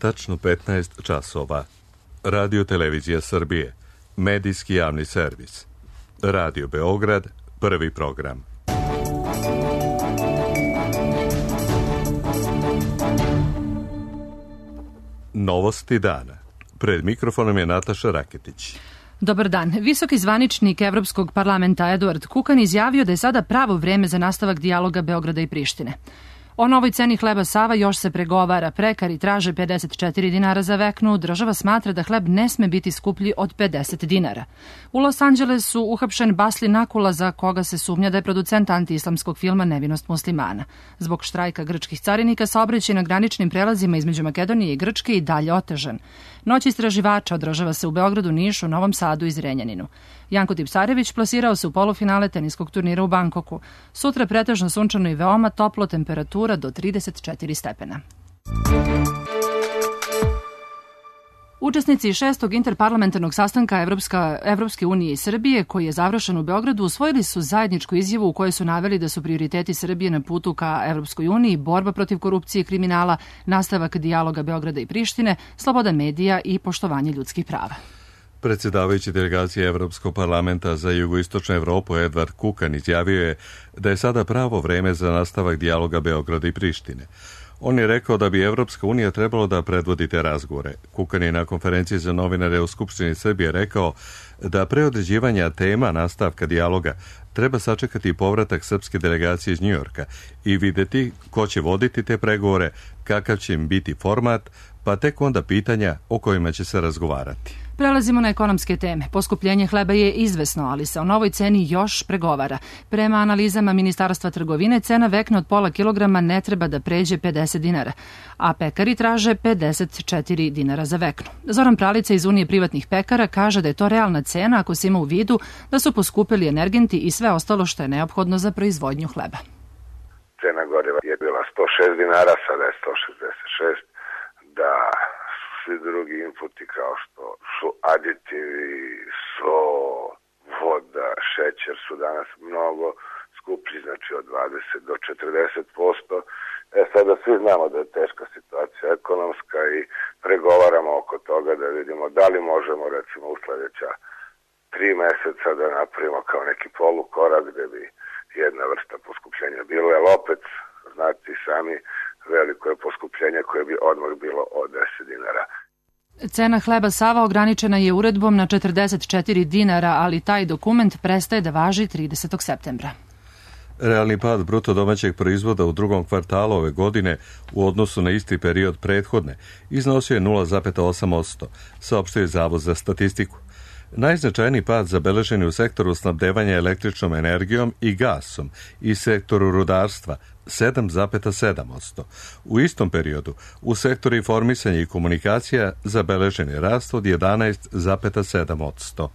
tačno 15 časova. Radio Televizija Srbije, medijski javni servis. Radio Beograd, prvi program. Novosti dana. Pred mikrofonom je Nataša Raketić. Dobar dan. Visoki zvaničnik Evropskog parlamenta Eduard Kukan izjavio da je sada pravo vreme za nastavak dijaloga Beograda i Prištine. O novoj ceni hleba Sava još se pregovara. Pekari traže 54 dinara za veknu. Država smatra da hleb ne sme biti skuplji od 50 dinara. U Los Angelesu uhapšen Basli Nakula, za koga se sumnja da je producent antiislamskog filma Nevinost muslimana. Zbog štrajka grčkih carinika saobraćaj na graničnim prelazima između Makedonije i Grčke i dalje otežan. Noć istraživača održava se u Beogradu, Nišu, Novom Sadu i Zrenjaninu. Janko Tipsarević plasirao se u polufinale teniskog turnira u Bankoku. Sutra pretežno sunčano i veoma toplo, temperatura do 34 stepena. Učesnici 6. interparlamentarnog sastanka Evropske unije i Srbije, koji je završen u Beogradu, usvojili su zajedničku izjavu u kojoj su naveli da su prioriteti Srbije na putu ka Evropskoj uniji borba protiv korupcije i kriminala, nastavak dijaloga Beograda i Prištine, sloboda medija i poštovanje ljudskih prava. Predsjedavajući delegacije Evropskog parlamenta za jugoistočnu Evropu Eduard Kukan izjavio je da je sada pravo vreme za nastavak dijaloga Beograda i Prištine. On je rekao da bi Evropska unija trebalo da predvodi te razgovore. Kukan je na konferenciji za novinare u Skupštini Srbije rekao da pre određivanja tema nastavka dijaloga treba sačekati povratak srpske delegacije iz Njujorka i videti ko će voditi te pregovore, kakav će im biti format, pa tek onda pitanja o kojima će se razgovarati. Prelazimo na ekonomske teme. Poskupljenje hleba je izvesno, ali se o novoj ceni još pregovara. Prema analizama Ministarstva trgovine, cena vekna od pola kilograma ne treba da pređe 50 dinara, a pekari traže 54 dinara za veknu. Zoran Pralica iz Unije privatnih pekara kaže da je to realna cena ako se ima u vidu da su poskupili energenti i sve ostalo što je neophodno za proizvodnju hleba. Cena goriva je bila 106 dinara, sada je 166, da svi drugi inputi kao što su aditivi, so, voda, šećer su danas mnogo skuplji, znači od 20 do 40%. Sada svi znamo da je teška situacija ekonomska i pregovaramo oko toga da vidimo da li možemo recimo u sljedeća 3 meseca da napravimo kao neki polukorak gde bi jedna vrsta poskupljenja bilo, jer opet znate sami veliko je poskupljenje koje bi odmah bilo od 10 dinara. Cena hleba Sava ograničena je uredbom na 44 dinara, ali taj dokument prestaje da važi 30. septembra. Realni pad bruto domaćeg proizvoda u drugom kvartalu ove godine u odnosu na isti period prethodne iznosio je 0,8%, saopštio je Zavod za statistiku. Najznačajniji pad zabeležen je u sektoru snabdevanja električnom energijom i gasom i sektoru rudarstva 7,7%. U istom periodu u sektoru informisanja i komunikacija zabeležen je rast od 11,7%.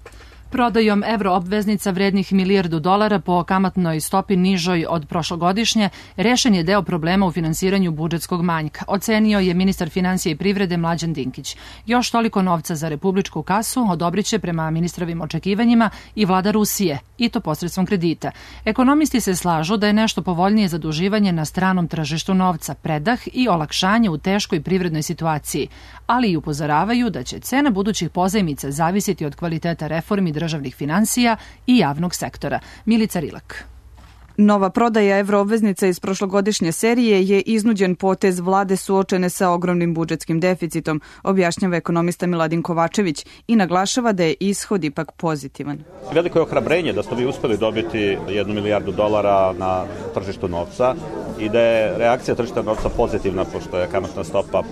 Prodajom evroobveznica vrednih $1 milijardu po kamatnoj stopi nižoj od prošlogodišnje rešen je deo problema u finansiranju budžetskog manjka, ocenio je ministar finansija i privrede Mlađan Dinkić. Još toliko novca za republičku kasu odobriće prema ministrovim očekivanjima i vlada Rusije, i to posredstvom kredita. Ekonomisti se slažu da je nešto povoljnije zaduživanje na stranom tržištu novca, predah i olakšanje u teškoj privrednoj situaciji, ali i upozoravaju da će cena budućih pozajmica zavisiti od kvaliteta reformi državnih finansija i javnog sektora. Milica Rilak. Nova prodaja evroobveznica iz prošlogodišnje serije je iznuđen potez vlade suočene sa ogromnim budžetskim deficitom, objašnjava ekonomista Miladin Kovačević i naglašava da je ishod ipak pozitivan. Veliko je ohrabrenje da ste vi uspeli dobiti $1 milijardu na tržištu novca i da je reakcija tržišta novca pozitivna, pošto je kamatna stopa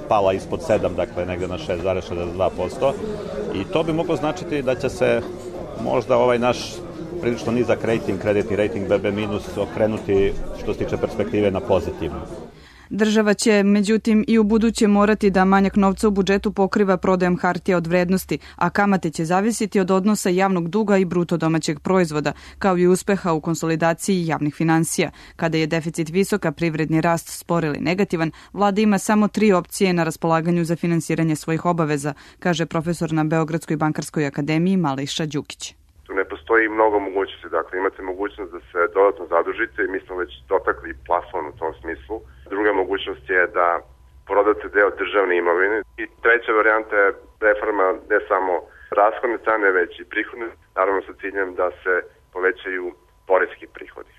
pala ispod 7, dakle negde na 6,62%, i to bi moglo značiti da će se možda ovaj naš prilično nizak rating, kreditni rating BB- okrenuti što se tiče perspektive na pozitivnu. Država će, međutim, i u buduće morati da manjak novca u budžetu pokriva prodajom hartija od vrednosti, a kamate će zavisiti od odnosa javnog duga i bruto domaćeg proizvoda, kao i uspeha u konsolidaciji javnih finansija. Kada je deficit visok, a privredni rast spor ili negativan, vlada ima samo 3 opcije na raspolaganju za finansiranje svojih obaveza, kaže profesor na Beogradskoj bankarskoj akademiji Mališa Đukić. Tu ne postoji mnogo mogućnosti, dakle imate mogućnost da se dodatno zadužite i mi smo već dotakli plafon u tom smislu. Druga mogućnost je da prodati deo državne imovine. I treća varijanta je reforma ne samo rashodne strane, već i prihodne, naravno sa ciljem da se povećaju poreski prihodi.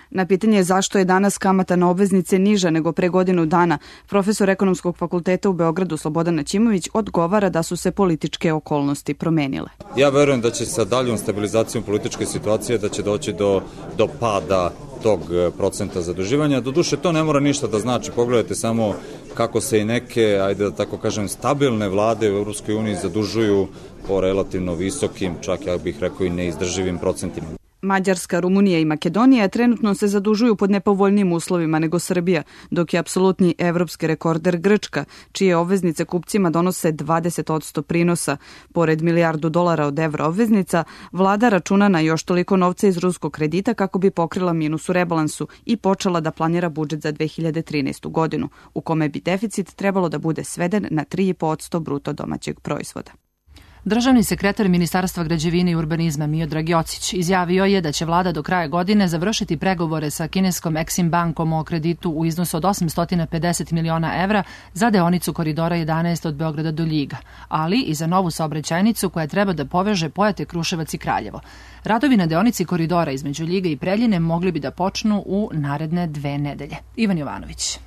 Na pitanje zašto je danas kamata na obveznice niža nego pre godinu dana, profesor Ekonomskog fakulteta u Beogradu Slobodan Ćimović odgovara da su se političke okolnosti promenile. Ja verujem da će sa daljom stabilizacijom političke situacije da će doći do pada tog procenta zaduživanja. Doduše, to ne mora ništa da znači. Pogledajte samo kako se i neke, ajde da tako kažem, stabilne vlade u EU zadužuju po relativno visokim, čak ja bih rekao i neizdrživim procentima. Mađarska, Rumunija i Makedonija trenutno se zadužuju pod nepovoljnijim uslovima nego Srbija, dok je apsolutni evropski rekorder Grčka, čije obveznice kupcima donose 20% prinosa. Pored $1 milijardu od evra obveznica, vlada računa na još toliko novca iz ruskog kredita kako bi pokrila minus u rebalansu i počela da planira budžet za 2013. godinu, u kome bi deficit trebalo da bude sveden na 3,5% bruto domaćeg proizvoda. Državni sekretar Ministarstva građevine i urbanizma Miodrag Jocić izjavio je da će vlada do kraja godine završiti pregovore sa kineskom Exim bankom o kreditu u iznosu od 850 miliona evra za deonicu Koridora 11 od Beograda do Ljiga, ali i za novu saobraćajnicu koja treba da poveže Pojate, Kruševac i Kraljevo. Radovi na deonici koridora između Ljiga i Preljine mogli bi da počnu u naredne 2 nedelje. Ivan Jovanović.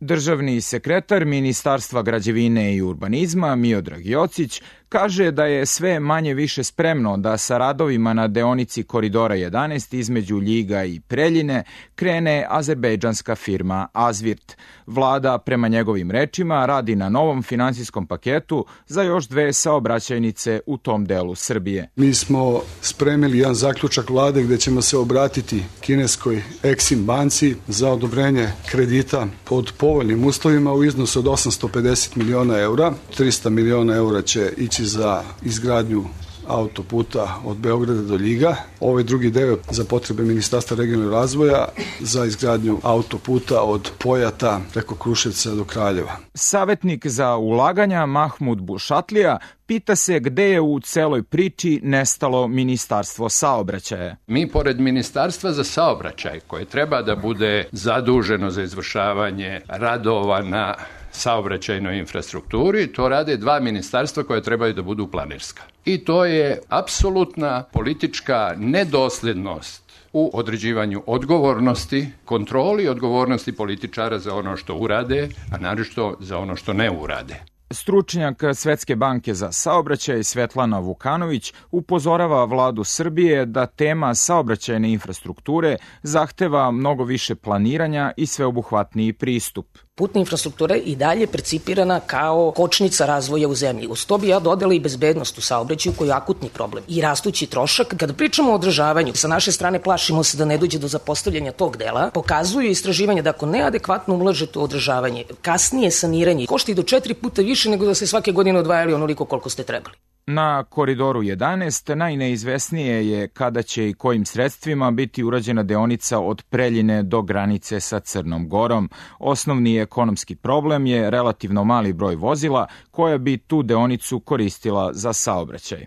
Državni sekretar Ministarstva građevine i urbanizma Miodrag Jocić kaže da je sve manje više spremno da sa radovima na deonici Koridora 11 između Ljiga i Preljine krene azerbejdžanska firma Azvirt. Vlada, prema njegovim rečima, radi na novom finansijskom paketu za još 2 saobraćajnice u tom delu Srbije. Mi smo spremili jedan zaključak vlade gde ćemo se obratiti kineskoj Exim banci za odobrenje kredita pod povoljnim uslovima u iznosu od 850 miliona eura. 300 miliona eura će ići za izgradnju autoputa od Beograda do Ljiga. Ovaj drugi deo za potrebe Ministarstva regionalnog razvoja za izgradnju autoputa od Pojata preko Kruševca do Kraljeva. Savetnik za ulaganja Mahmud Bušatlija pita se gde je u celoj priči nestalo Ministarstvo saobraćaja. Mi, pored Ministarstva za saobraćaj, koje treba da bude zaduženo za izvršavanje radova na saobraćajnoj infrastrukturi, to rade 2 ministarstva koje trebaju da budu planirska. I to je apsolutna politička nedoslednost u određivanju odgovornosti, kontroli odgovornosti političara za ono što urade, a naročito za ono što ne urade. Stručnjak Svetske banke za saobraćaj Svetlana Vukanović upozorava vladu Srbije da tema saobraćajne infrastrukture zahteva mnogo više planiranja i sveobuhvatniji pristup. Putna infrastruktura je i dalje percipirana kao kočnica razvoja u zemlji. Uz to bi ja dodala i bezbednost u saobraćaju koji je akutni problem i rastući trošak. Kada pričamo o održavanju, sa naše strane plašimo se da ne dođe do zapostavljanja tog dela. Pokazuju istraživanja da ako neadekvatno ulažete u održavanje, kasnije saniranje košta i do 4 puta više nego da ste svake godine odvajali onoliko koliko ste trebali. Na Koridoru 11 najneizvesnije je kada će i kojim sredstvima biti urađena deonica od Preljine do granice sa Crnom Gorom. Osnovni ekonomski problem je relativno mali broj vozila koja bi tu deonicu koristila za saobraćaj.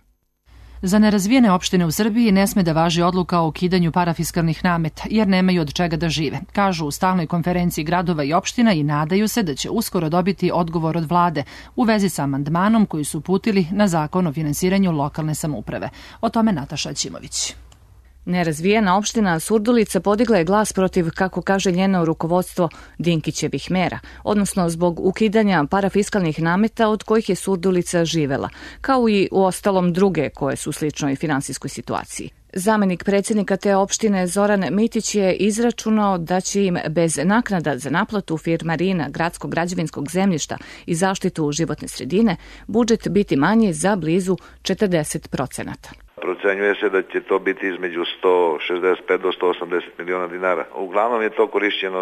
Za nerazvijene opštine u Srbiji ne sme da važi odluka o ukidanju parafiskalnih nameta, jer nemaju od čega da žive, kažu u stalnoj konferenciji gradova i opština i nadaju se da će uskoro dobiti odgovor od vlade u vezi sa amandmanom koji su uputili na zakon o finansiranju lokalne samouprave. O tome Nataša Ćimović. Nerazvijena opština Surdulica podigla je glas protiv, kako kaže njeno rukovodstvo, Dinkićevih mera, odnosno zbog ukidanja parafiskalnih nameta od kojih je Surdulica živela, kao i u ostalom druge koje su u sličnoj finansijskoj situaciji. Zamenik predsjednika te opštine Zoran Mitić je izračunao da će im bez naknada za naplatu firmarina, gradskog građevinskog zemljišta i zaštitu životne sredine budžet biti manji za blizu 40%. Procenjuje se da će to biti između 165 do 180 miliona dinara. Uglavnom je to korišćeno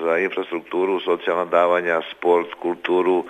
za infrastrukturu, socijalna davanja, sport, kulturu.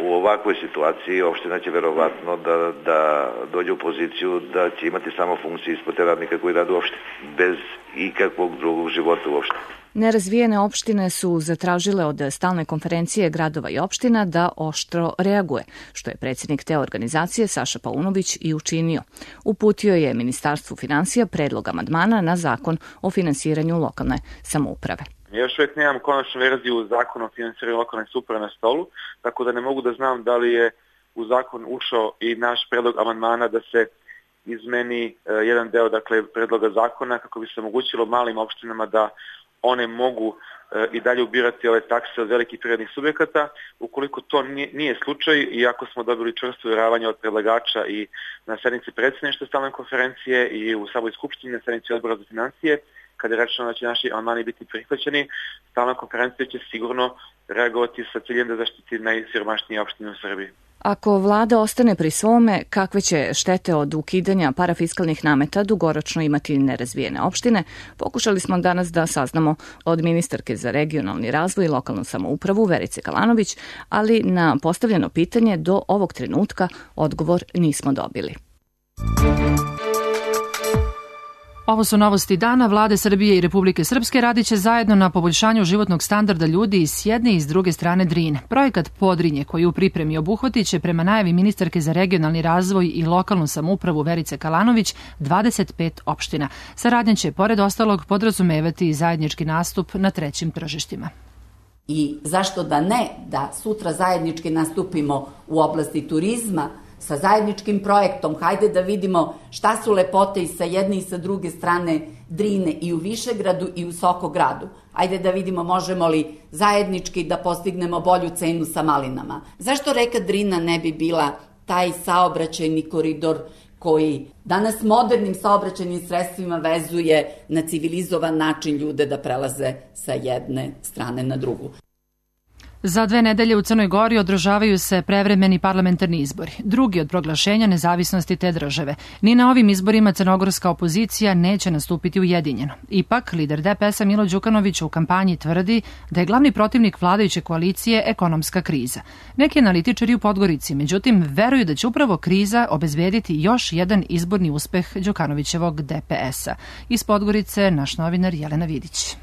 U ovakvoj situaciji opština će verovatno da dođe u poziciju da će imati samo funkcije ispod te radnika koji rade u opštini, bez ikakvog drugog života u opštini. Nerazvijene opštine su zatražile od stalne konferencije gradova i opština da oštro reaguje, što je predsjednik te organizacije Saša Paunović i učinio. Uputio je Ministarstvu finansija predlog amandmana na zakon o finansiranju lokalne samouprave. Ja još uvijek nemam konačnu verziju zakona o financiranju lokalne samouprave na stolu, tako da ne mogu da znam da li je u zakon ušao i naš predlog amandmana da se izmeni jedan deo, dakle, predloga zakona kako bi se omogućilo malim opštinama da one mogu i dalje ubirati ove takse od velikih privrednih subjekata. Ukoliko to nije slučaj i ako smo dobili čvrsto uvjeravanje od predlagača i na sednici predsjedništva stalne konferencije i u samoj skupštini na sednici odbora za financije, kada je rečeno da će naši amandmani biti prihvaćeni, stalna konferencija će sigurno reagovati sa ciljem da zaštiti najsiromašnije opštine u Srbiji. Ako vlada ostane pri svome, kakve će štete od ukidanja parafiskalnih nameta dugoročno imati nerazvijene opštine, pokušali smo danas da saznamo od ministarke za regionalni razvoj i lokalnu samoupravu Verice Kalanović, ali na postavljeno pitanje do ovog trenutka odgovor nismo dobili. Ovo su novosti dana. Vlade Srbije i Republike Srpske radiće zajedno na poboljšanju životnog standarda ljudi s jedne i s druge strane Drine. Projekat Podrinje, koji u pripremi obuhvatit će prema najavi ministarke za regionalni razvoj i lokalnu samoupravu Verice Kalanović 25 opština. Saradnja će, pored ostalog, podrazumevati i zajednički nastup na trećim tržištima. I zašto da ne, da sutra zajednički nastupimo u oblasti turizma, sa zajedničkim projektom, hajde da vidimo šta su lepote i sa jedne i sa druge strane Drine i u Višegradu i u Sokogradu. Hajde da vidimo možemo li zajednički da postignemo bolju cenu sa malinama. Zašto reka Drina ne bi bila taj saobraćajni koridor koji danas modernim saobraćajnim sredstvima vezuje na civilizovan način ljude da prelaze sa jedne strane na drugu. Za 2 nedelje u Crnoj Gori održavaju se prevremeni parlamentarni izbori, drugi od proglašenja nezavisnosti te države. Ni na ovim izborima crnogorska opozicija neće nastupiti ujedinjeno. Ipak, lider DPS-a Milo Đukanović u kampanji tvrdi da je glavni protivnik vladajuće koalicije ekonomska kriza. Neki analitičari u Podgorici, međutim, veruju da će upravo kriza obezbediti još jedan izborni uspeh Đukanovićevog DPS-a. Iz Podgorice naš novinar Jelena Vidić.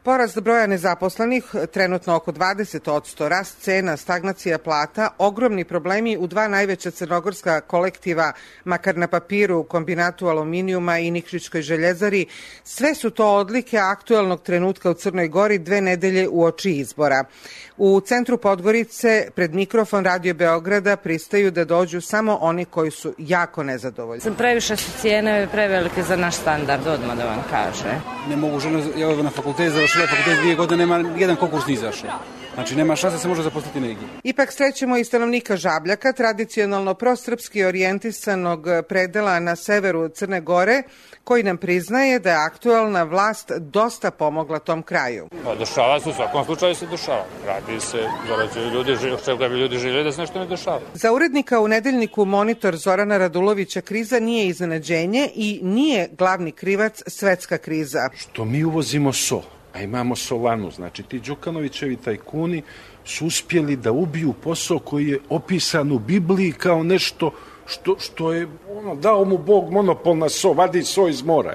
Porast broja nezaposlenih, trenutno oko 20%, rast cena, stagnacija plata, ogromni problemi u 2 najveća crnogorska kolektiva, makar na papiru, Kombinatu aluminijuma i Nikšićkoj željezari, sve su to odlike aktuelnog trenutka u Crnoj Gori 2 nedelje uoči izbora. U centru Podgorice, pred mikrofon Radio Beograda, pristaju da dođu samo oni koji su jako nezadovoljni. Previše su cijene prevelike za naš standard, odmah da vam kaže. Ne mogu žena, ja na fakultet završila fakultet 2 godine, nema jedan konkurs ni izašao. Znači, nema šanse da se može zaposliti negdje. Ipak srećemo i stanovnika Žabljaka, tradicionalno prosrpski orijentisanog predela na severu Crne Gore, koji nam priznaje da je aktualna vlast dosta pomogla tom kraju. Dešava se, u svakom slučaju se dešava. Radi se, zarađuju ljudi, čega bi ljudi željeli da se nešto ne dešava. Za urednika u nedeljniku Monitor Zorana Radulovića kriza nije iznenađenje i nije glavni krivac svetska kriza. Što mi uvozimo so, a imamo Solanu, znači ti Đukanovićevi tajkuni su uspjeli da ubiju posao koji je opisan u Bibliji kao nešto što je, dao mu Bog monopol na so, vadi so iz mora.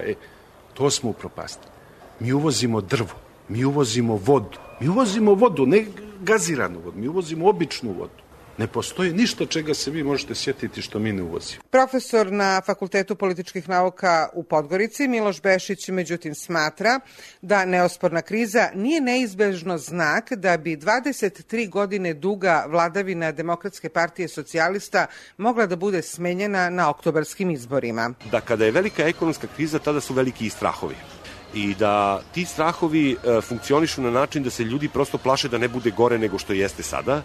To smo upropastili. Mi uvozimo drvo, mi uvozimo vodu, ne gaziranu vodu, mi uvozimo običnu vodu. Ne postoji ništa čega se vi možete sjetiti što mi ne uvozimo. Profesor na Fakultetu političkih nauka u Podgorici, Miloš Bešić, međutim smatra da neosporna kriza nije neizbežno znak da bi 23 godine duga vladavina Demokratske partije socijalista mogla da bude smenjena na oktobarskim izborima. Da kada je velika ekonomska kriza, tada su veliki i strahovi. I da ti strahovi funkcionišu na način da se ljudi prosto plaše da ne bude gore nego što jeste sada,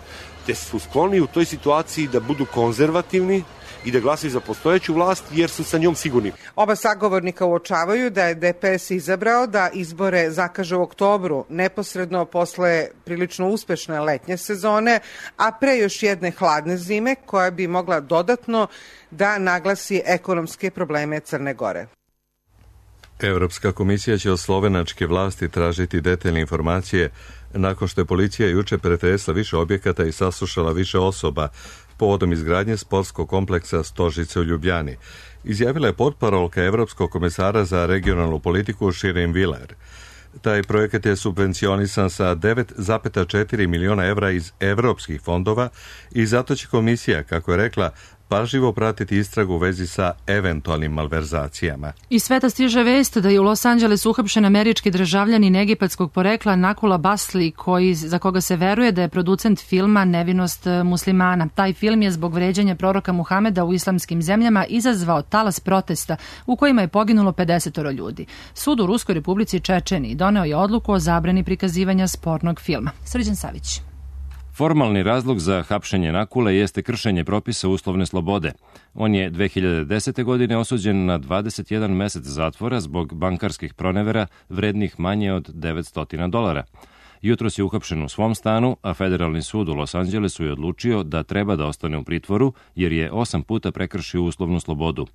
te su skloni u toj situaciji da budu konzervativni i da glasaju za postojeću vlast jer su sa njom sigurni. Oba sagovornika uočavaju da je DPS izabrao da izbore zakaže u oktobru, neposredno posle prilično uspešne letnje sezone, a pre još jedne hladne zime koja bi mogla dodatno da naglasi ekonomske probleme Crne Gore. Evropska komisija će od slovenačke vlasti tražiti detaljne informacije nakon što je policija juče pretresla više objekata i saslušala više osoba povodom izgradnje sportskog kompleksa Stožice u Ljubljani, izjavila je potparolka Evropskog komesara za regionalnu politiku Širin Viler. Taj projekat je subvencionisan sa 9,4 miliona evra iz evropskih fondova i zato će komisija, kako je rekla, pažljivo pratiti istragu u vezi sa eventualnim malverzacijama. Iz sveta stiže vest da je u Los Angelesu uhapšen američki državljanin egipatskog porekla Nakula Basli, za koga se veruje da je producent filma Nevinost muslimana. Taj film je zbog vređanja proroka Muhameda u islamskim zemljama izazvao talas protesta u kojima je poginulo 50 ljudi. Sud u Ruskoj Republici Čečeniji doneo je odluku o zabrani prikazivanja spornog filma. Srđan Savić. Formalni razlog za hapšenje Nakule jeste kršenje propisa uslovne slobode. On je 2010. godine osuđen na 21 mesec zatvora zbog bankarskih pronevera vrednih manje od $900. Jutros je uhapšen u svom stanu, a Federalni sud u Los Angelesu je odlučio da treba da ostane u pritvoru jer je 8 puta prekršio uslovnu slobodu.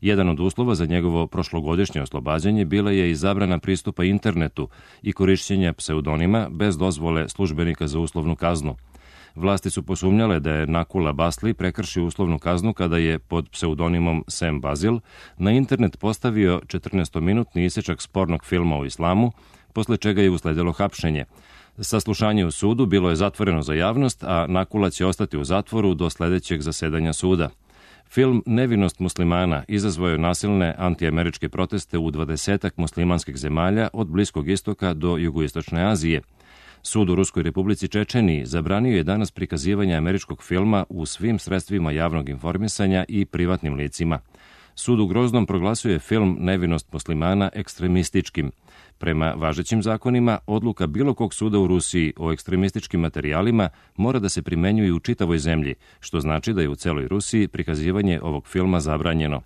Jedan od uslova za njegovo prošlogodišnje oslobađanje bila je i zabrana pristupa internetu i korišćenja pseudonima bez dozvole službenika za uslovnu kaznu. Vlasti su posumnjale da je Nakula Basli prekršio uslovnu kaznu kada je pod pseudonimom Sam Bazil na internet postavio 14-minutni isečak spornog filma o islamu, posle čega je usledilo hapšenje. Saslušanje u sudu bilo je zatvoreno za javnost, a Nakula će ostati u zatvoru do sledećeg zasedanja suda. Film Nevinost muslimana izazvao je nasilne antiameričke proteste u 20 muslimanskih zemalja od Bliskog istoka do Jugoistočne Azije. Sud u Ruskoj Republici Čečeniji zabranio je danas prikazivanje američkog filma u svim sredstvima javnog informisanja i privatnim licima. Sud u Groznom proglasio je film Nevinost muslimana ekstremističkim. Prema važećim zakonima, odluka bilo kog suda u Rusiji o ekstremističkim materijalima mora da se primenjuje u čitavoj zemlji, što znači da je u celoj Rusiji prikazivanje ovog filma zabranjeno.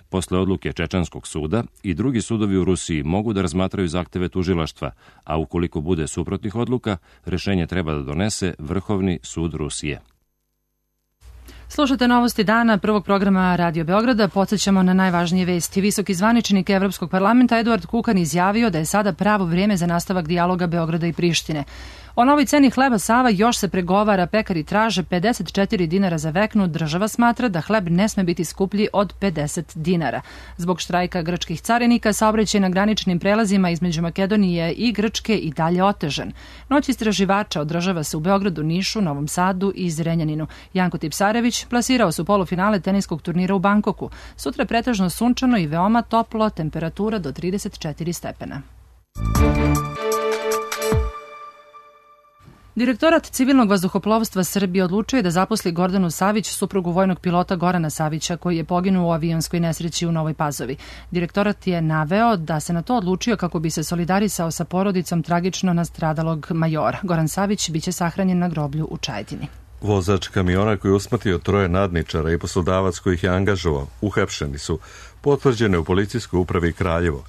Posle odluke Čečanskog suda i drugi sudovi u Rusiji mogu da razmatraju zahteve tužilaštva, a ukoliko bude suprotnih odluka, rešenje treba da donese Vrhovni sud Rusije. Slušate novosti dana prvog programa Radio Beograda. Podsećamo na najvažnije vesti. Visoki zvaničnik Evropskog parlamenta Eduard Kukan izjavio da je sada pravo vrijeme za nastavak dijaloga Beograda i Prištine. O novoj ceni hleba Sava još se pregovara, pekari traže 54 dinara za veknu, država smatra da hleb ne sme biti skuplji od 50 dinara. Zbog štrajka grčkih carinika, saobraćaj na graničnim prelazima između Makedonije i Grčke i dalje otežan. Noć istraživača održava se u Beogradu, Nišu, Novom Sadu i Zrenjaninu. Janko Tipsarević plasirao su polufinale teniskog turnira u Bankoku. Sutra pretežno sunčano i veoma toplo, temperatura do 34 stepena. Direktorat civilnog vazduhoplovstva Srbije odlučio je da zaposli Gordanu Savić, suprugu vojnog pilota Gorana Savića, koji je poginuo u avionskoj nesreći u Novoj Pazovi. Direktorat je naveo da se na to odlučio kako bi se solidarisao sa porodicom tragično nastradalog majora. Goran Savić biće sahranjen na groblju u Čajetini. Vozač kamiona koji je usmrtio 3 nadničara i poslodavac koji ih je angažovao uhapšeni su, potvrđene u policijskoj upravi Kraljevo.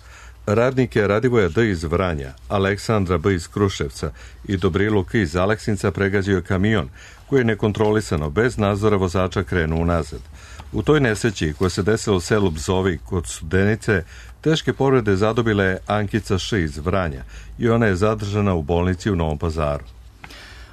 Radnike Radivoja D. iz Vranja, Aleksandra B. iz Kruševca i Dobrilu K. iz Aleksinca pregađio kamion koji je nekontrolisano bez nadzora vozača krenuo unazad. U toj nesreći koja se desila u selu Bzovi kod Studenice, teške povrede zadobila je Ankica Š. iz Vranja i ona je zadržana u bolnici u Novom Pazaru.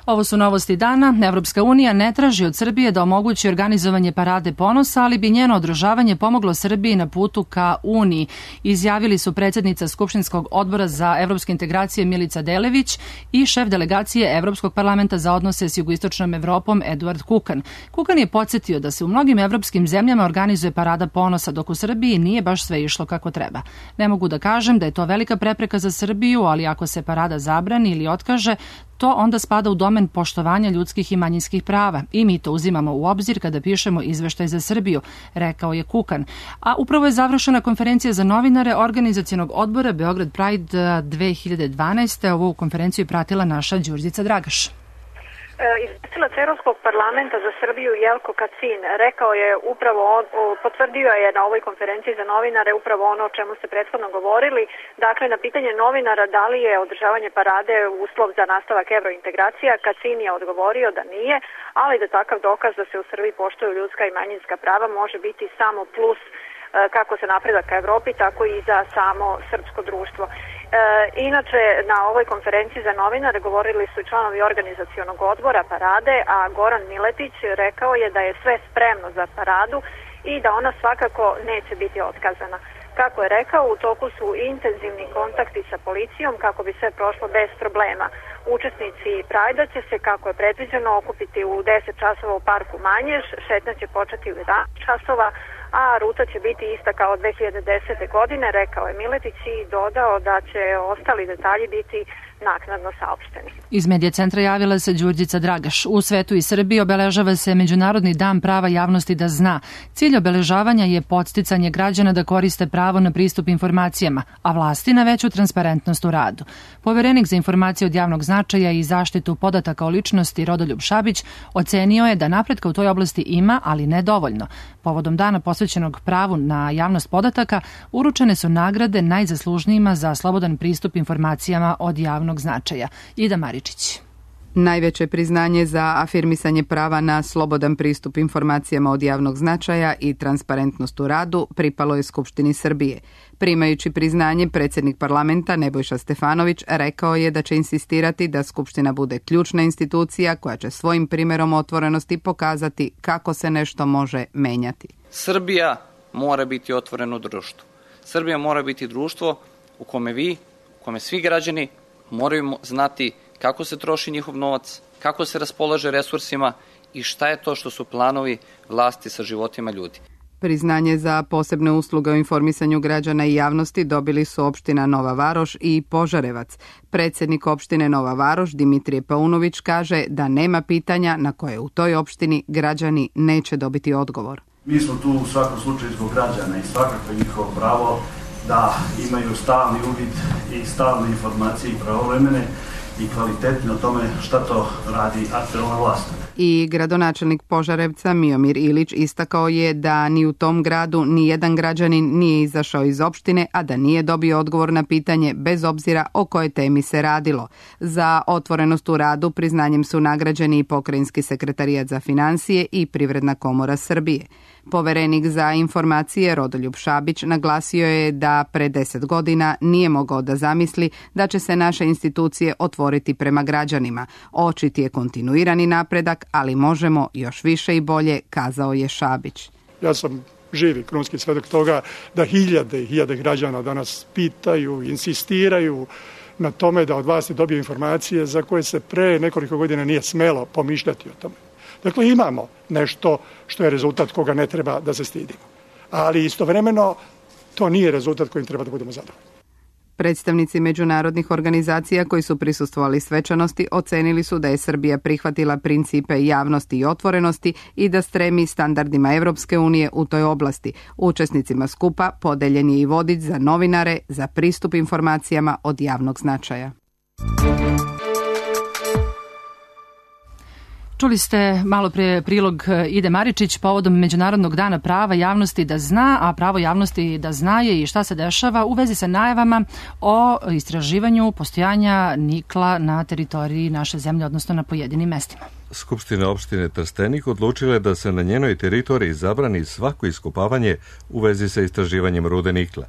Ovo su novosti dana. Evropska unija ne traži od Srbije da omogući organizovanje parade ponosa, ali bi njeno održavanje pomoglo Srbiji na putu ka Uniji, izjavili su predsjednica Skupštinskog odbora za evropske integracije Milica Delević i šef delegacije Evropskog parlamenta za odnose s jugoistočnom Evropom Eduard Kukan. Kukan je podsjetio da se u mnogim evropskim zemljama organizuje parada ponosa, dok u Srbiji nije baš sve išlo kako treba. Ne mogu da kažem da je to velika prepreka za Srbiju, ali ako se parada zabrani ili otkaže, to onda spada u domen poštovanja ljudskih i manjinskih prava i mi to uzimamo u obzir kada pišemo izveštaj za Srbiju, rekao je Kukan. A upravo je završena konferencija za novinare Organizacionog odbora Beograd Pride 2012. Ovu konferenciju pratila naša Đurđica Dragaš. Izvestilac Evropskog parlamenta za Srbiju Jelko Kacin rekao je upravo, potvrdio je na ovoj konferenciji za novinare upravo ono o čemu ste prethodno govorili. Dakle, na pitanje novinara da li je održavanje parade uslov za nastavak evrointegracija, Kacin je odgovorio da nije, ali da takav dokaz da se u Srbiji poštuju ljudska i manjinska prava može biti samo plus kako se napredak ka Evropi, tako i za samo srpsko društvo. Inače, na ovoj konferenciji za novinare govorili su i članovi organizacionog odbora parade, a Goran Miletić rekao je da je sve spremno za paradu i da ona svakako neće biti otkazana. Kako je rekao, u toku su intenzivni kontakti sa policijom kako bi sve prošlo bez problema. Učesnici Prajda će se, kako je predviđeno, okupiti u 10 časova u parku Manjež, šetnja će početi u 11 časova, a ruta će biti ista kao 2010. godine, rekao je Miletić i dodao da će ostali detalji biti naknadno saopšteni. Iz Medija centra javila se Đurđica Dragaš. U svetu i Srbiji obeležava se Međunarodni dan prava javnosti da zna. Cilj obeležavanja je podsticanje građana da koriste pravo na pristup informacijama, a vlasti na veću transparentnost u radu. Poverenik za informacije od javnog značaja i zaštitu podataka o ličnosti Rodoljub Šabić ocenio je da napretka u toj oblasti ima, ali ne dovoljno. Povodom dana posvećenog pravu na javnost podataka uručene su nagrade najzaslužnijima za slobodan pristup informacijama od javnog značaja. Ida Maričić. Najveće priznanje za afirmisanje prava na slobodan pristup informacijama od javnog značaja i transparentnost u radu pripalo je Skupštini Srbije. Primajući priznanje, predsjednik parlamenta Nebojša Stefanović rekao je da će insistirati da Skupština bude ključna institucija koja će svojim primjerom otvorenosti pokazati kako se nešto može menjati. Srbija mora biti otvoreno društvo. Srbija mora biti društvo u kome u kome svi građani moraju znati kako se troši njihov novac, kako se raspolaže resursima i šta je to što su planovi vlasti sa životima ljudi. Priznanje za posebne usluge o informisanju građana i javnosti dobili su opština Nova Varoš i Požarevac. Predsjednik opštine Nova Varoš, Dimitrije Paunović, kaže da nema pitanja na koje u toj opštini građani neće dobiti odgovor. Mi smo tu u svakom slučaju zbog građana i svakako je njihovo pravo da imaju stalni uvid i stalne informacije i pravovremene i kvalitetne o tome šta to radi aktuelna vlast. I gradonačelnik Požarevca Miomir Ilić istakao je da ni u tom gradu ni jedan građanin nije izašao iz opštine, a da nije dobio odgovor na pitanje bez obzira o kojoj temi se radilo. Za otvorenost u radu priznanjem su nagrađeni i Pokrajinski sekretarijat za financije i Privredna komora Srbije. Poverenik za informacije Rodoljub Šabić naglasio je da pre 10 godina nije mogao da zamisli da će se naše institucije otvoriti prema građanima. Očit je kontinuirani napredak, ali možemo još više i bolje, kazao je Šabić. Ja sam živi krunski svedok toga da hiljade i hiljade građana danas pitaju, insistiraju na tome da od vlasti dobiju informacije za koje se pre nekoliko godina nije smelo pomišljati o tome. Dakle, imamo nešto što je rezultat koga ne treba da se stidimo. Ali istovremeno to nije rezultat kojim treba da budemo zadovoljni. Predstavnici međunarodnih organizacija koji su prisustvovali svečanosti ocenili su da je Srbija prihvatila principe javnosti i otvorenosti i da stremi standardima Evropske unije u toj oblasti. Učesnicima skupa podeljen je i vodič za novinare za pristup informacijama od javnog značaja. Čuli ste malo pre prilog Ide Maričić povodom Međunarodnog dana prava javnosti da zna, a pravo javnosti da zna je i šta se dešava u vezi sa najavama o istraživanju postojanja nikla na teritoriji naše zemlje, odnosno na pojedinim mestima. Skupština opštine Trstenik odlučila je da se na njenoj teritoriji zabrani svako iskopavanje u vezi sa istraživanjem rude nikla.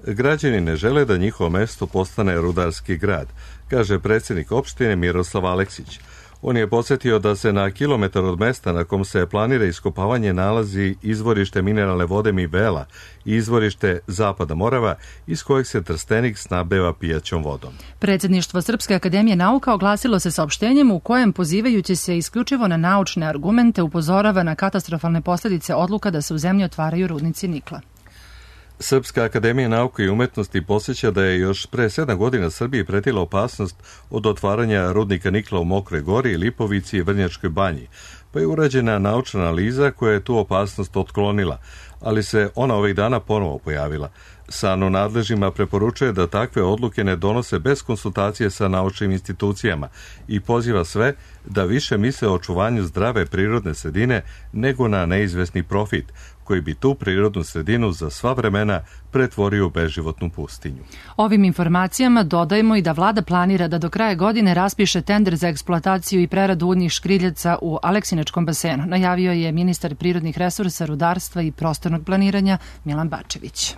Građani ne žele da njihovo mesto postane rudarski grad, kaže predsjednik opštine Miroslav Aleksić. On je podsjetio da se na kilometar od mesta na kom se planira iskopavanje nalazi izvorište mineralne vode Mivela i izvorište Zapada Morava iz kojeg se Trstenik snabdeva pijaćom vodom. Predsjedništvo Srpske akademije nauka oglasilo se saopštenjem u kojem, pozivajući se isključivo na naučne argumente, upozorava na katastrofalne posljedice odluka da se u zemlji otvaraju rudnici nikla. Srpska akademija nauke i umetnosti podsjeća da je još pre 7 godina Srbiji pretila opasnost od otvaranja rudnika nikla u Mokroj Gori, Lipovici i Vrnjačkoj banji, pa je urađena naučna analiza koja je tu opasnost otklonila, ali se ona ovih dana ponovo pojavila. SANU nadležima preporučuje da takve odluke ne donose bez konsultacije sa naučnim institucijama i poziva sve da više misle o očuvanju zdrave prirodne sredine nego na neizvesni profit, koji bi tu prirodnu sredinu za sva vremena pretvorio u beživotnu pustinju. Ovim informacijama dodajemo i da vlada planira da do kraja godine raspiše tender za eksploataciju i preradu uljnih škriljaca u Aleksinačkom basenu, najavio je ministar prirodnih resursa, rudarstva i prostornog planiranja Milan Bačević.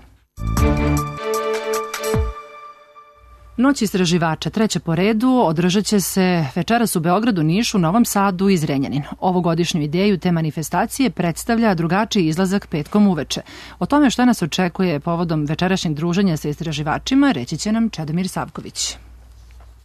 Noć istraživača, treća po redu, održat će se večeras u Beogradu, Nišu, Novom Sadu i Zrenjaninu. Ovogodišnju ideju te manifestacije predstavlja drugačiji izlazak petkom uveče. O tome što nas očekuje povodom večerašnjeg druženja sa istraživačima reći će nam Čedomir Savković.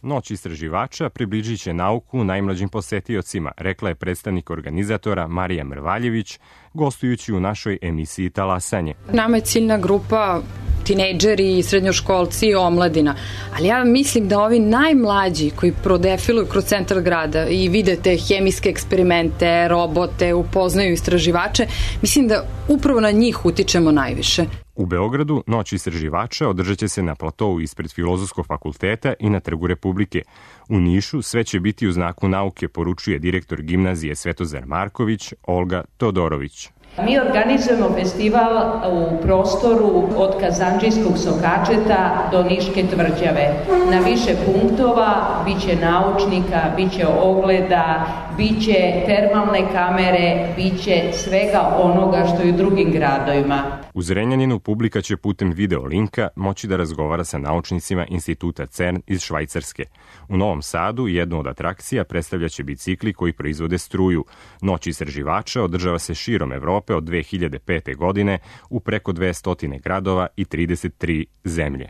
Noć istraživača približit će nauku najmlađim posetiocima, rekla je predstavnik organizatora Marija Mrvaljević, gostujući u našoj emisiji Talasanje. Nama je ciljna grupa tinejdžeri, srednjoškolci i omladina. Ali ja mislim da ovi najmlađi koji prodefiluju kroz centar grada i vide te hemijske eksperimente, robote, upoznaju istraživače, mislim da upravo na njih utičemo najviše. U Beogradu Noć istraživača održat će se na platovu ispred Filozofskog fakulteta i na Trgu Republike. U Nišu sve će biti u znaku nauke, poručuje direktor gimnazije Svetozar Marković, Olga Todorović. Mi organizujemo festival u prostoru od Kazandžijskog sokačeta do Niške tvrđave. Na više punktova biće naučnika, biće ogleda, biće termalne kamere, biće svega onoga što je u drugim gradovima. U Zrenjaninu publika će putem video linka moći da razgovara sa naučnicima instituta CERN iz Švajcarske. U Novom Sadu jednu od atrakcija predstavljaće bicikli koji proizvode struju. Noć istraživača održava se širom Evrope od 2005. godine u preko 200 gradova i 33 zemlje.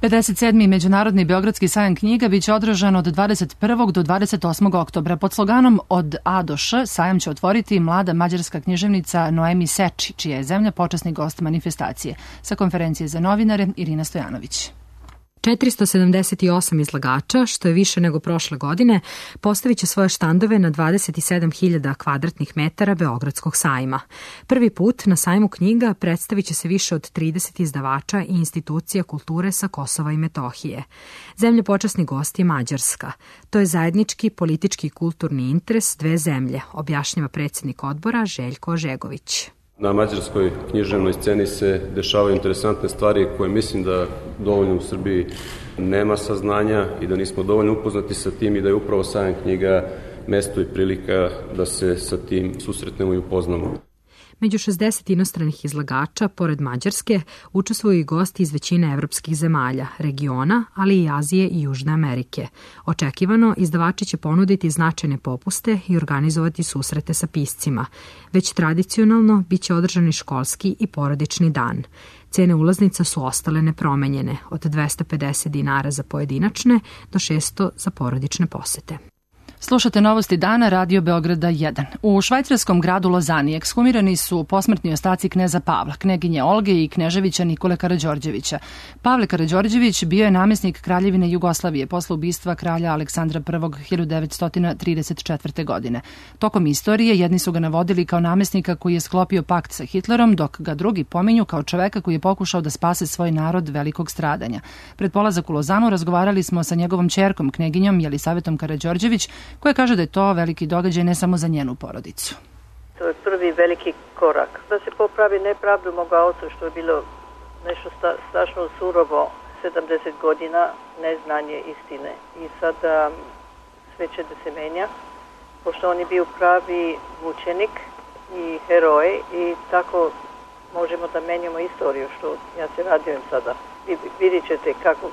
57. Međunarodni Beogradski sajam knjiga biće održan od 21. do 28. oktobra. Pod sloganom Od A do Š sajam će otvoriti mlada mađarska književnica Noemi Seči, čija je zemlja počasni gost manifestacije. Sa konferencije za novinare Irina Stojanović. 478 izlagača, što je više nego prošle godine, postavit će svoje štandove na 27.000 kvadratnih metara Beogradskog sajma. Prvi put na sajmu knjiga predstavit će se više od 30 izdavača i institucija kulture sa Kosova i Metohije. Zemlja počasni gost je Mađarska. To je zajednički politički i kulturni interes dve zemlje, objašnjava predsjednik odbora Željko Žegović. Na mađarskoj književnoj sceni se dešavaju interesantne stvari koje mislim da dovoljno u Srbiji nema saznanja i da nismo dovoljno upoznati sa tim i da je upravo sajam knjiga mesto i prilika da se sa tim susretnemo i upoznamo. Među 60 inostranih izlagača, pored Mađarske, učestvuju i gosti iz većine evropskih zemalja, regiona, ali i Azije i Južne Amerike. Očekivano, izdavači će ponuditi značajne popuste i organizovati susrete sa piscima. Već tradicionalno biće održani školski i porodični dan. Cene ulaznica su ostale nepromenjene, od 250 dinara za pojedinačne do 600 za porodične posete. Slušate novosti dana Radio Beograda 1. U švajcarskom gradu Lozani ekshumirani su posmrtni ostaci kneza Pavla, kneginje Olge i kneževića Nikole Karađorđevića. Pavle Karađorđević bio je namjesnik Kraljevine Jugoslavije posle ubistva kralja Aleksandra I 1934. godine. Tokom istorije jedni su ga navodili kao namjesnika koji je sklopio pakt sa Hitlerom, dok ga drugi pominju kao čoveka koji je pokušao da spase svoj narod velikog stradanja. Pred polazak u Lozanu razgovarali smo sa njegovom ćerkom, kneginjom Jelisavetom Karađorđević, koja kaže da je to veliki događaj ne samo za njenu porodicu. To je prvi veliki korak. Da se popravi nepravdu moga oca, što je bilo nešto strašno surovo, 70 godina neznanje istine. I sada sve će da se menja, pošto on je bio pravi mučenik i heroj i tako možemo da menjamo istoriju, što ja se radujem sada. Vidjet ćete kako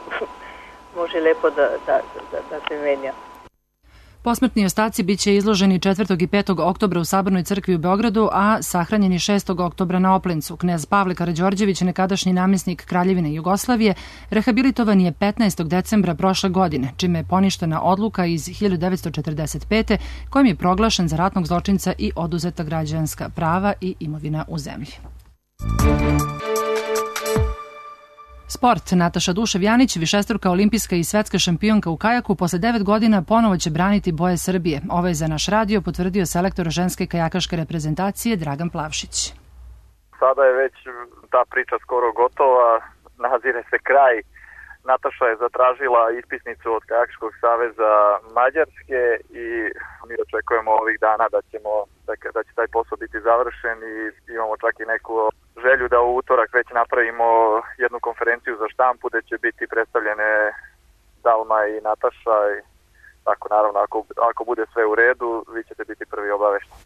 može lepo da se menja. Posmrtni ostaci biće izloženi 4. i 5. oktobra u Sabornoj crkvi u Beogradu, a sahranjeni 6. oktobra na Oplencu. Knez Pavle Karađorđević, nekadašnji namjesnik Kraljevine Jugoslavije, rehabilitovan je 15. decembra prošle godine, čime je poništena odluka iz 1945. kojom je proglašen za ratnog zločinca i oduzeta građanska prava i imovina u zemlji. Sport. Nataša Dušev-Janić, višestruka olimpijska i svetska šampionka u kajaku, posle 9 godina ponovo će braniti boje Srbije. Ovo je za naš radio potvrdio selektor ženske kajakaške reprezentacije Dragan Plavšić. Sada je već ta priča skoro gotova, nazire se kraj. Nataša je zatražila ispisnicu od Kajakaškog saveza Mađarske i mi očekujemo ovih dana da će taj posao biti završen i imamo čak i neku želju da u utorak već napravimo jednu konferenciju za štampu gde će biti predstavljene Dalma i Nataša i tako naravno ako bude sve u redu vi ćete biti prvi obavešteni.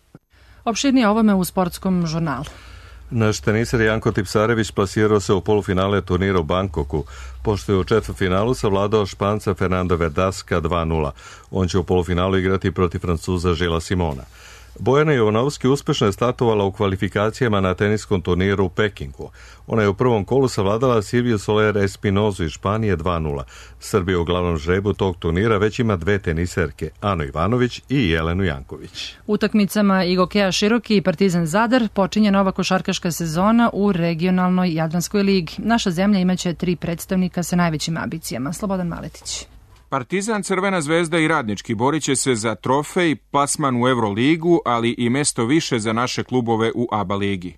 Opširnije ovome u sportskom žurnalu. Naš teniser Janko Tipsarević plasirao se u polufinale turnira u Bangkoku, pošto je u četvrtfinalu savladao Španca Fernanda Verdaska 2:0. On će u polufinalu igrati protiv Francuza Žila Simona. Bojana Jovanovski uspešno je startovala u kvalifikacijama na teniskom turniru u Pekingu. Ona je u prvom kolu savladala Silviju Soler Espinozu iz Španije 2:0. Srbija u glavnom žrebu tog turnira već ima dve teniserke, Anu Ivanović i Jelenu Janković. Utakmicama Igokeja Široki i Partizan Zadar počinje nova košarkaška sezona u regionalnoj Jadranskoj ligi. Naša zemlja imaće 3 predstavnika sa najvećim ambicijama. Slobodan Maletić. Partizan, Crvena zvezda i Radnički borit će se za trofej, plasman u Euroligu, ali i mesto više za naše klubove u ABA ligi.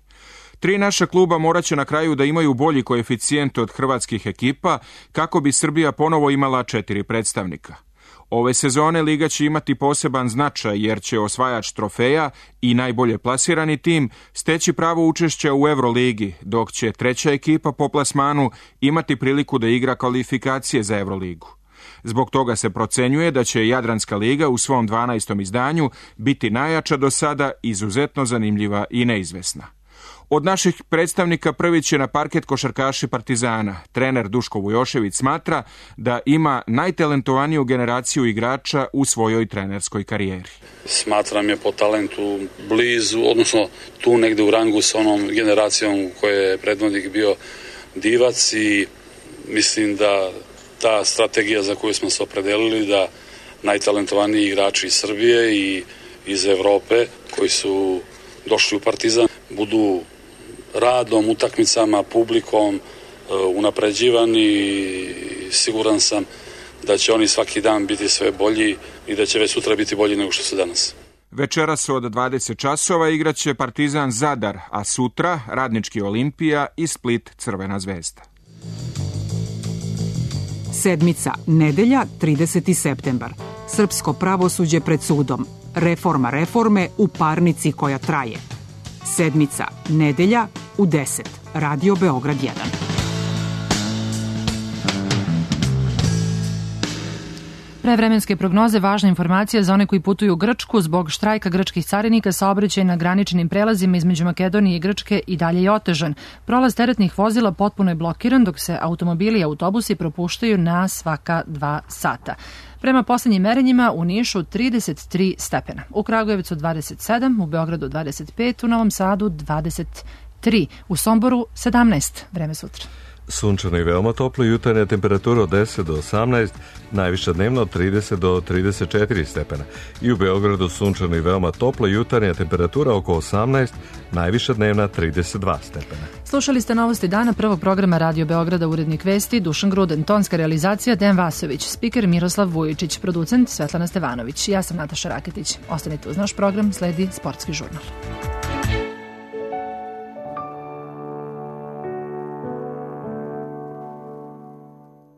3 naša kluba moraće na kraju da imaju bolji koeficijent od hrvatskih ekipa kako bi Srbija ponovo imala 4 predstavnika. Ove sezone liga će imati poseban značaj jer će osvajač trofeja i najbolje plasirani tim steći pravo učešća u Euroligi, dok će 3. ekipa po plasmanu imati priliku da igra kvalifikacije za Euroligu. Zbog toga se procenjuje da će Jadranska liga u svom 12. izdanju biti najjača do sada, izuzetno zanimljiva i neizvesna. Od naših predstavnika prvi će na parket košarkaši Partizana. Trener Duško Vujošević smatra da ima najtalentovaniju generaciju igrača u svojoj trenerskoj karijeri. Smatram je po talentu blizu, odnosno tu negde u rangu sa onom generacijom koje je predvodnik bio Divac i mislim da ta strategija za koju smo se opredelili da najtalentovaniji igrači iz Srbije i iz Evrope koji su došli u Partizan budu radom, utakmicama, publikom unapređivani i siguran sam da će oni svaki dan biti sve bolji i da će već sutra biti bolji nego što su danas. Večeras od 20 časova igraće Partizan Zadar, a sutra Radnički Olimpija i Split Crvena zvezda. Sedmica, nedelja, 30. septembar. Srpsko pravosuđe pred sudom. Reforma reforme u parnici koja traje. Sedmica, nedelja, u 10. Radio Beograd 1. Prevremenske prognoze, važna informacija za one koji putuju u Grčku. Zbog štrajka grčkih carinika saobraćaj na graničnim prelazima između Makedonije i Grčke i dalje je otežan. Prolaz teretnih vozila potpuno je blokiran, dok se automobili i autobusi propuštaju na svaka 2 sata. Prema poslednjim merenjima u Nišu 33 stepena, u Kragujevcu 27, u Beogradu 25, u Novom Sadu 23, u Somboru 17. Vreme sutra. Sunčano i veoma toplo, jutarnja temperatura od 10 do 18, najviša dnevno od 30 do 34 stepena. I u Beogradu sunčano i veoma toplo, jutarnja temperatura oko 18, najviša dnevna 32 stepena. Slušali ste novosti dana prvog programa Radio Beograda, urednik vesti Dušan Gruden, tonska realizacija Dejan Vasović, spiker Miroslav Vujičić, producent Svetlana Stevanović. Ja sam Nataša Raketić. Ostanite uz naš program, sledi Sportski žurnal.